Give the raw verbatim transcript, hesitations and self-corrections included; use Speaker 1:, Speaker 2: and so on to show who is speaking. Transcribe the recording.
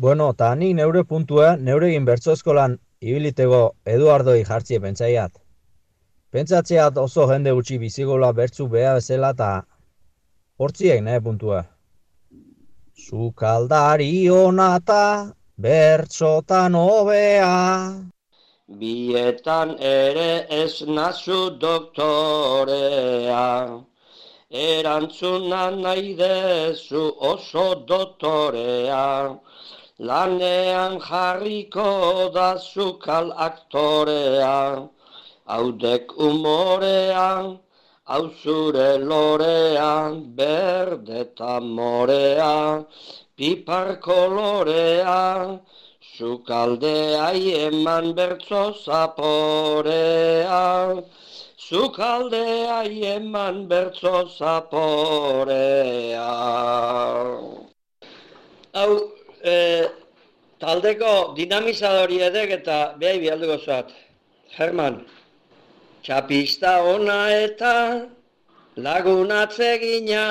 Speaker 1: Bueno, eta nik neure puntua, neuregin bertso eskolan ibilitego Eduardoi jartzie pentsaiat. Pentsatzeat oso jende gutxi bizigola bertzu beha bezala eta hortziek nahi puntua. Sukaldari onata, bertsotan hobea.
Speaker 2: Bietan ere ez nazu doktorea, erantzuna nahi dezu oso doktorea, lanean jarriko da zukal aktorea, haudek umorea, hau zure lorea, berde eta morea, pipar kolorea, Zukaldea eman bertso zaporea, Zukaldea eman bertso zaporea. Hau, e, taldeko dinamizadori edek eta behai bialduko zuat. Herman, txapista ona eta lagunatzegina,